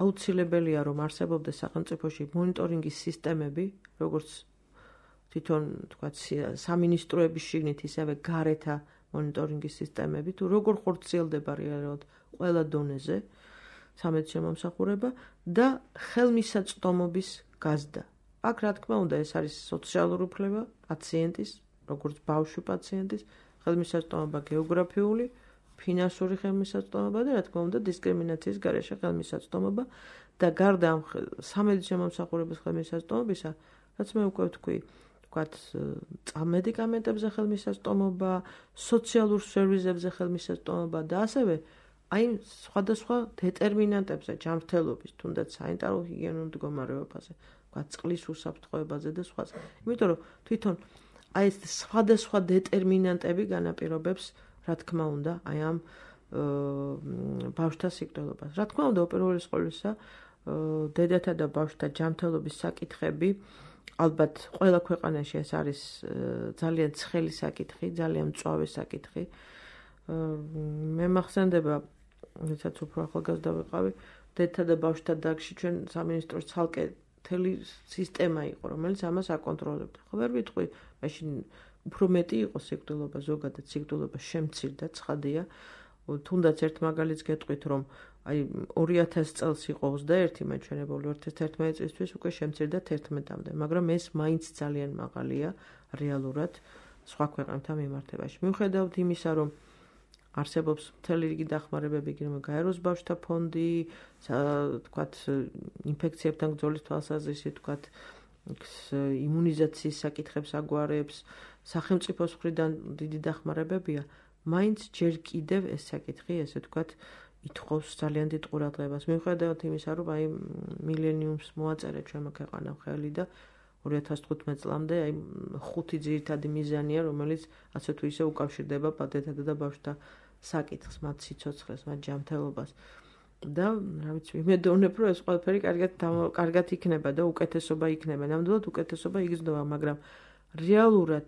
აუცილებელია, რომ არსებობდეს სახელმწიფოში მონიტორინგის სისტემები, როგორც თვითონ, თქვათ, სამინისტროების შიგნით, ისევე გარეთა მონიტორინგის სისტემები, თუ როგორ ხორციელდება რეალურად ყველა დონეზე სამედიცინო მომსახურება და ხელმისაწვდომობის გაზრდა. აქ, რა თქმა უნდა, ეს არის სოციალური უფლება პაციენტის, როგორც ბავშვი პაციენტის, ხელმისაწვდომობა გეოგრაფიული, ფინანსური ხელმისაწვდომობა და რა თქმა უნდა, დისკრიმინაციის გარეშე ხელმისაწვდომობა და გარდა ამ სამედიცინო მომსახურების ხელმისაწვდომობისა, რაც მე უკვე ვთქვათ, წამედიკამენტებზე ხელმისაწვდომობა, სოციალურ სერვისებზე ხელმისაწვდომობა და ასევე აი სხვადასხვა დეტერმინანტებზე ჯანმრთელობის, თუნდაც სანიტარულ ჰიგიენურ მდგომარეობაზე, ვთქვათ, წყლის უსაფრთხოებაზე და სხვა. იმიტომ რომ თვითონ აი ეს სხვადასხვა დეტერმინანტები განაპირობებს, რა თქმა უნდა, აი ამ ბავშვთა სიკვდილობას. რა თქმა უნდა, უპირველეს ყოვლისა, დედათა და ბავშვთა ჯანმრთელობის საკითხები, ალბათ ყველა ქვეყანაში ეს არის ძალიან ცხელი საკითხი, ძალიან მწვავე საკითხი. მე მახსენდება, როდესაც უფრო ახალგაზრდა ვიყავი, დედათა და ბავშვთა დარგში ჩვენ სამინისტროს ცალკე მთელი სისტემა იყო, რომელიც ამას აკონტროლებდა. ხო ვერ ვიტყვი, მაშინ უფრო მეტი იყო სიკვდილობა, ზოგადად სიკვდილობა შემცირდა, ცხადია. თუნდაც ერთ მაგალითს გეტყვით, რომ აი 2000 წელს იყო 21, მაჩვენებული 2011 წლისთვის უკვე შემცირდა 11-მდე, მაგრამ ეს მაინც ძალიან მაღალია რეალურად სხვა ქვეყანებთან მიმართებაში. მიუხედავად იმისა, რომ არსებობს მთელი რიგი დახმარებები, გინდა გაეროს ბავშვთა ფონდი, თქვათ ინფექციებთან ბრძოლის თვალსაზრისით, თქვათ იმუნიზაციის საკითხებს აგვარებს, სახელმწიფოს მხრიდან დიდი დახმარებებია, მაინც ჯერ კიდევ ეს საკითხი, ესე ვთქვათ, ითხოვს ძალიან დიდ ყურადღებას. მიუხედავად იმისა, რომ აი მილენიუმს მოაწერა ჩვენმა ქვეყანამ ხელი და 2015 წლამდე აი 5 ძირითადი მიზანია, რომელიც ასე თუ ისე უკავშირდება პატიათა და ბავშვთა საკითხს, მათ სიცოცხლეს, მათ ჯანმრთელობას. და რა ვიცი, იმედოვნებ, რომ ეს ყველაფერი კარგად იქნება და უკეთესობა იქნება. ნამდვილად უკეთესობა იგრძნობა, მაგრამ რეალურად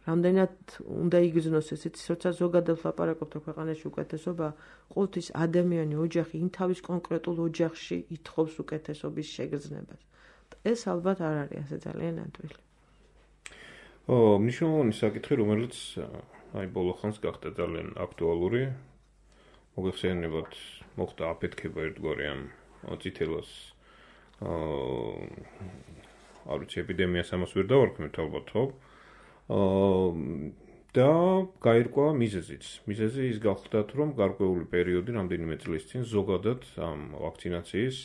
რამდენად უნდა იგრძნოს ესეც, როცა ზოგადად ვლაპარაკობთ ქვეყანაში უკეთესობა, ყოველთვის ადამიანი, ოჯახი იმ თავის კონკრეტულ ოჯახში ითხოვს უკეთესობის შეგრძნებას. ეს ალბათ არ არის ასე ძალიან ადვილი. მნიშვნელოვანი საკითხი, რომელიც აი ბოლო ხანს გახდა ძალიან აქტუალური. მოგეხსენებათ, მოხდა აფეთქება ერთგვარი ამ წითელას არ ვიცი, ეპიდემიას ამას ვერ დავარქმევთ ალბათ, ხო? და გაირკვა მიზეზიც. მიზეზი ის გახდათ, რომ გარკვეული პერიოდი, რამდენიმე წლის წინ ზოგადად ამ ვაქცინაციის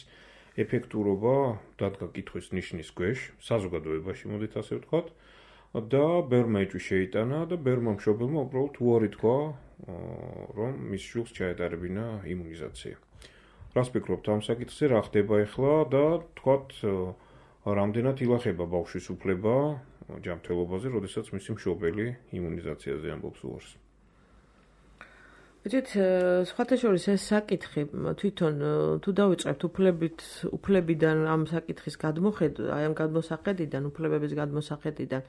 ეფექტურობა დადგა კითხვის ნიშნის ქვეშ, საზოგადოებაში, მოდით ასე ვთქვათ, და ბევრმა ეჭვი შეიტანა და ბევრმა მშობელმა უბრალოდ უარი თქვა, რომ მის შვილს ჩაეტარებინა იმუნიზაცია. რას ფიქრობთ ამ საკითხზე, რა ხდება ახლა და თქვათ, რამდენად ილახება ბავშვის უფლება ჯანმრთელობაზე, როდესაც მისი მშობელი იმუნიზაციაზე ამბობს უარს. Ვიძით, სხვათა შორის ეს საკითხი თვითონ თუ დავიწყებთ უფლებიდან ამ საკითხის გადმოხედვა, აი ამ გადმოსახედიდან, უფლებების გადმოსახედიდან,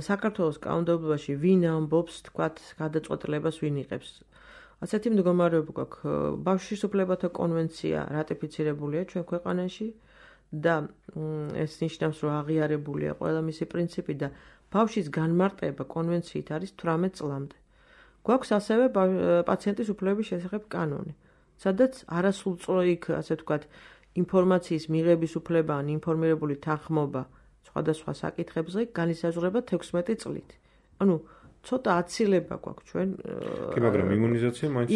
საქართველოს კანონმდებლობაში ვინ ამბობს, თქვათ, გადაწყვეტილებას ვინ იღებს. ასეთი მდგომარეობა გვაქვს, ბავშვის უფლებათა კონვენცია რატიფიცირებულია ჩვენ ქვეყანაში და ეს ნიშნავს, რომ აღიარებულია ყველა მისი პრინციპი და ბავშვის განმარტება კონვენციით არის 18 წლამდე. გვაქვს ასევე პაციენტის უფლებების შესახებ კანონი, სადაც არასრულწლოვანი, ასე ვთქვათ, ინფორმაციის მიღების უფლება ან ინფორმირებული თანხმობა სხვადასხვა საკითხებზე განისაზღვრება 16 წლით. ანუ ცოტა აცილება გვაქვს ჩვენ. კი, მაგრამ იმუნიზაცია მაინც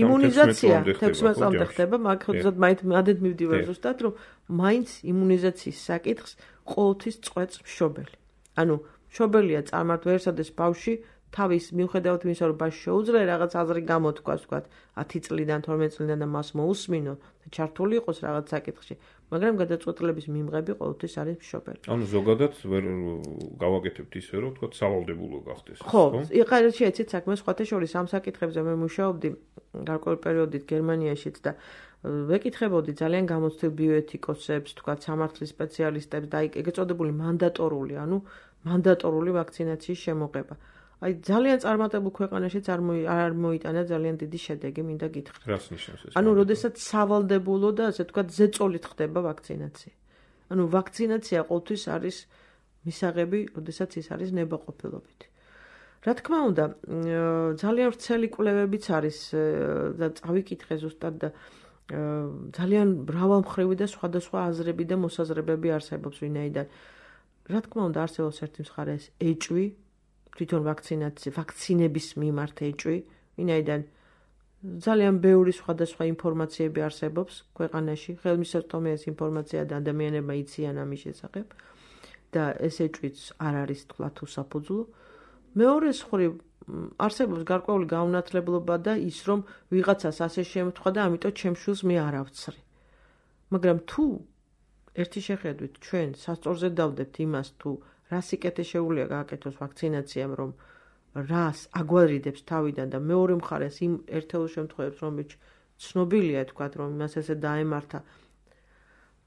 16 წლამდე ხდება, მაგრამ მადეთ მივდივარ ზუსტად, რომ მაინც იმუნიზაციის საკითხს ყოველთვის წყვეტს მშობელი. ანუ მშობელია წარმართვერსადეს ბავშვი თავის მიუხედავად იმისა, რომ ბავშვი შეუძლია რაღაც აზრი გამოთქვას, ვთქვათ, 10 წლიდან, 12 წლიდან და მას მოусმინო და ჩართული იყოს რაღაც საკითხში, მაგრამ გადაწყვეტილების მიმღები ყოველთვის არის მშობელი. ანუ ზოგადად ვერ გავაკეთებთ ისე, რომ ვთქვათ, სავალდებულო გახდეს. ხო, იყარეთ შეეცით საქმე სხვათა შორის ამ საკითხებზე მე მუშაობდი გარკვეული პერიოდით გერმანიაშიც და ვეკითხებოდი ძალიან გამოცდილ ბიოეთიკოსებს, ვთქვათ, სამართლის სპეციალისტებს და ეგრეთ წოდებული მანდატორული ვაქცინაციის შემოღება. აი ძალიან წარმატებულ ქვეყანაშიც არ მოიტანა ძალიან დიდი შედეგი, მინდა გითხრათ. რას ნიშნავს ეს? ანუ როდესაც სავალდებულო და ასე ვთქვათ ზეწოლით ხდება ვაქცინაცია. ანუ ვაქცინაცია ყოველთვის არის მისაღები, როდესაც ის არის ნებაყოფილობითი. რა თქმა უნდა, ძალიან ვრცელი კვლევებიც არის და წავიკითხე ზუსტად და ძალიან მრავალმხრივი და სხვადასხვა აზრები და მოსაზრებები არსებობს ვინაიდან. რა თქმა უნდა, არსებობს ერთი მხარე ეს ეჭვი თვითონ ვაქცინების მიმართ ეჭვი, ვინაიდან ძალიან ბევრი სხვადასხვა ინფორმაციები არსებობს ქვეყანაში, ხელმისაწვდომია ეს ინფორმაცია და ადამიანებმა იციან ამის შესახებ და ეს ეჭვიც არ არის თქვათ უსაფუძვლო. მეორე მხრივ არსებობს გარკვეული გაუნათლებლობა და ის რომ ვიღაცას ასე შემთხვდა და ამიტომ ჩემს შვილს მე არ ავცრი. მაგრამ თუ ერთი შეხედვით ჩვენ სასწორზე დავდებთ იმას თუ რა სიკეთე შეუძლია გააკეთოს ვაქცინაციამ, რომ რას აგვარიდებს თავიდან და მეორე მხარეს იმ ერთეულ შემთხვევებს, რომელიც ცნობილია, თქვათ, რომ იმას ესე დაემართა,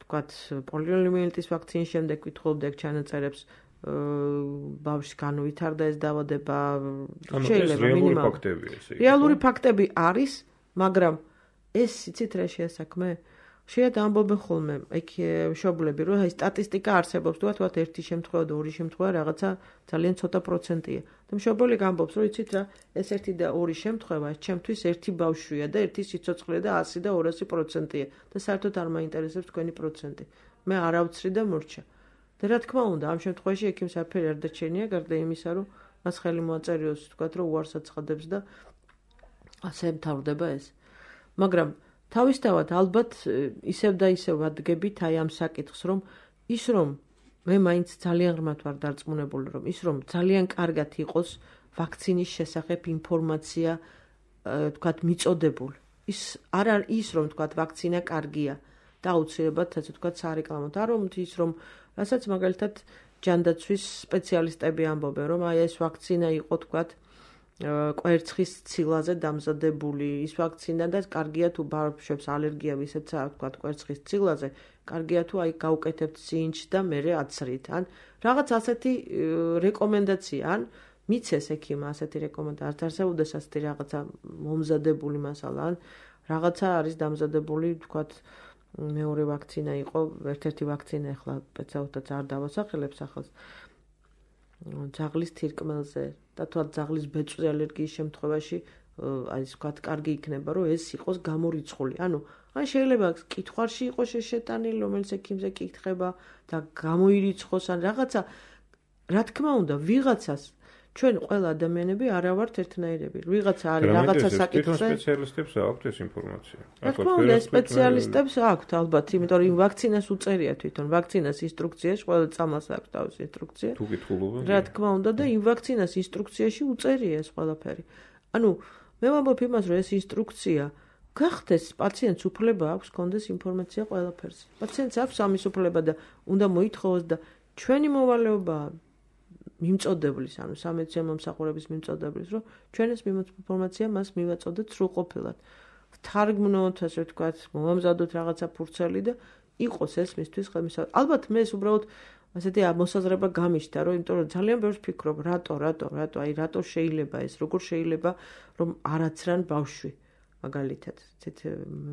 თქვათ, პოლიომიელიტის ვაქცინის შემდეგ ვითხოვდեք ჩანაწერებს, ბავშვს განვითარდა ეს დაავადება, შეიძლება მინიმალურად. რეალური ფაქტები არის, მაგრამ ეს იცით რა შეასაქმე? ხშირად ამბობენ ხოლმე იქ მშობლები, რომ აი სტატისტიკა არსებობს, თქვათ ერთი შემთხვევა და ორი შემთხვევა რაღაცა ძალიან ცოტა პროცენტია. და მშობელი გამბობს, რომ იცით რა, ეს ერთი და ორი შემთხვევა ჩემთვის ერთი ბავშვია და ერთი სიცოცხლე და 100 და 200%-ია და საერთოდ არ მაინტერესებს თქვენი პროცენტი. მე არ ავცრი და მორჩა. და რა თქმა უნდა, ამ შემთხვევაში ექიმს არაფერი არ დაჩენია, გარდა იმისა, რომ მას ხელი მოაწერიოს, თქვათ, რომ უარს აცხადებს და ასე მთავრდება ეს. მაგრამ თავისთავად ალბათ ისევ და ისევ ვადგებით აი ამ საკითხს, რომ ის რომ მე მაინც ძალიან ღრმად ვარ დარწმუნებული, რომ ის რომ ძალიან კარგად იყოს ვაქცინის შესახებ ინფორმაცია, თქვათ, მიწოდებული. ის არ ის რომ თქვათ ვაქცინა კარგია და აუცილებლად ასე თქვათ სარეკლამოდ. არ რომ ის რომ რასაც მაგალითად ჯანდაცვის სპეციალისტები ამბობენ, რომ აი ეს ვაქცინა იყო თქვათ კვერცხის ცილაზე დამზადებული, ის ვაქცინა და კარგია თუ ბავშვებს ალერგია ვისაც აქვს თქვათ კვერცხის ცილაზე, კარგია თუ აი გაუკეთებთ სინჯს და მერე აცრით. ან რაღაც ასეთი რეკომენდაცია, ან მიცეს ექიმა ასეთი რეკომენდაცია, არ არსებობდეს ასეთი რაღაცა მომზადებული მასალა, ან რაღაცა არის დამზადებული, თქვათ მეორე ვაქცინა იყო, ერთ-ერთი ვაქცინა ახლა სპეციალურად არ დავასახელებს ახალს. ძაღლის თირკმელზე და თუ ძაღლის ბეწვზე ალერგიის შემთხვევაში აი ვთქვათ კარგი იქნება რომ ეს იყოს გამორიცხული. ანუ ან შეიძლება კითხვარში იყოს შეტანილი, რომელიც ექიმზე კითხება და გამოირიცხოს ან რაღაცა. რა თქმა უნდა, ვიღაცას ჩვენ ყველა ადამიანები არა ვართ ერთნაირები. ვიღაცა არის რაღაცა საკითხზე. სპეციალისტებს აქვთ ეს ინფორმაცია. რა თქმა უნდა, სპეციალისტებს აქვთ ალბათ, იმიტომ რომ ვაქცინას უწერია თვითონ, ვაქცინას ინსტრუქციაში, ყველა წამლას აქვს თავის ინსტრუქცია. თუ კითხულობენ. რა თქმა უნდა და იმ ვაქცინას ინსტრუქციაში უწერია ეს ყველაფერი. ანუ მე ვამბობ იმას, რომ ეს ინსტრუქცია გახდეს პაციენტს უფლება აქვს კონდეს ინფორმაცია ყველაფერზე. პაციენტს აქვს ამის უფლება და უნდა მოითხოვოს და ჩვენი მოვალეობაა მიმწოდებლის, ანუ სამედიცინო მომსახურების მიმწოდებლის, რომ ჩვენ ეს ინფორმაცია მას მივაწოდეთ სრულყოფილად. თარგმნოთ, ასე ვთქვათ, მომამზადოთ რაღაცა ფურცელი და იყოს ეს მისთვის ხელმისაწვდომი. ალბათ მე ეს უბრალოდ ასეთი მოსაზრება გამიშთა, რომ იმიტომ რომ ძალიან ბევრს ფიქრობ, რატო შეიძლება ეს, როგორ შეიძლება რომ არაცრან ბავშვი მაგალითად.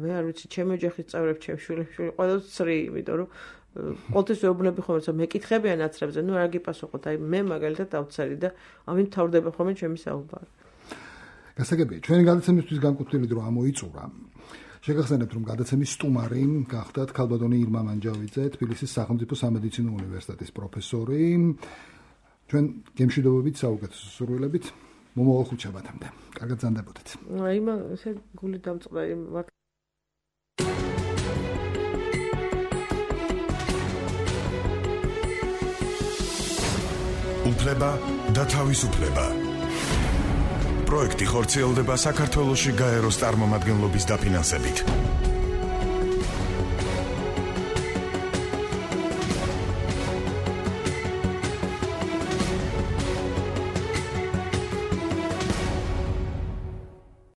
მე არ ვიცი, ჩემი ოჯახის წევრები, ჩემი შვილები ყველას ცრი, იმიტომ რომ ყოველთვის ვეუბნები ხოლმე, რომ მეკითხებიან აცრებზე, ნუ არ გიპასუხოთ, აი მე მაგალითად დავცერი და ამით თავდება ხოლმე ჩემი საუბარი. გასაგებია, ჩვენი გადაცემისთვის განკუთვნილი დრო ამოიწურა. შეგახსენებთ, რომ გადაცემის სტუმარი გახდათ ქალბატონი ირმა მანჯავიძე, თბილისის სახელმწიფო სამედიცინო უნივერსიტეტის პროფესორი. ჩვენ გემშვიდობებით, საუკეთესო სურვილებით, მომავალ ხუთშაბათამდე. კარგად ზანდებოდეთ. აი ესე გული დამწყდა იმ უფლება და თავისუფლება. პროექტი ხორციელდება საქართველოში გაეროს წარმომადგენლობის დაფინანსებით.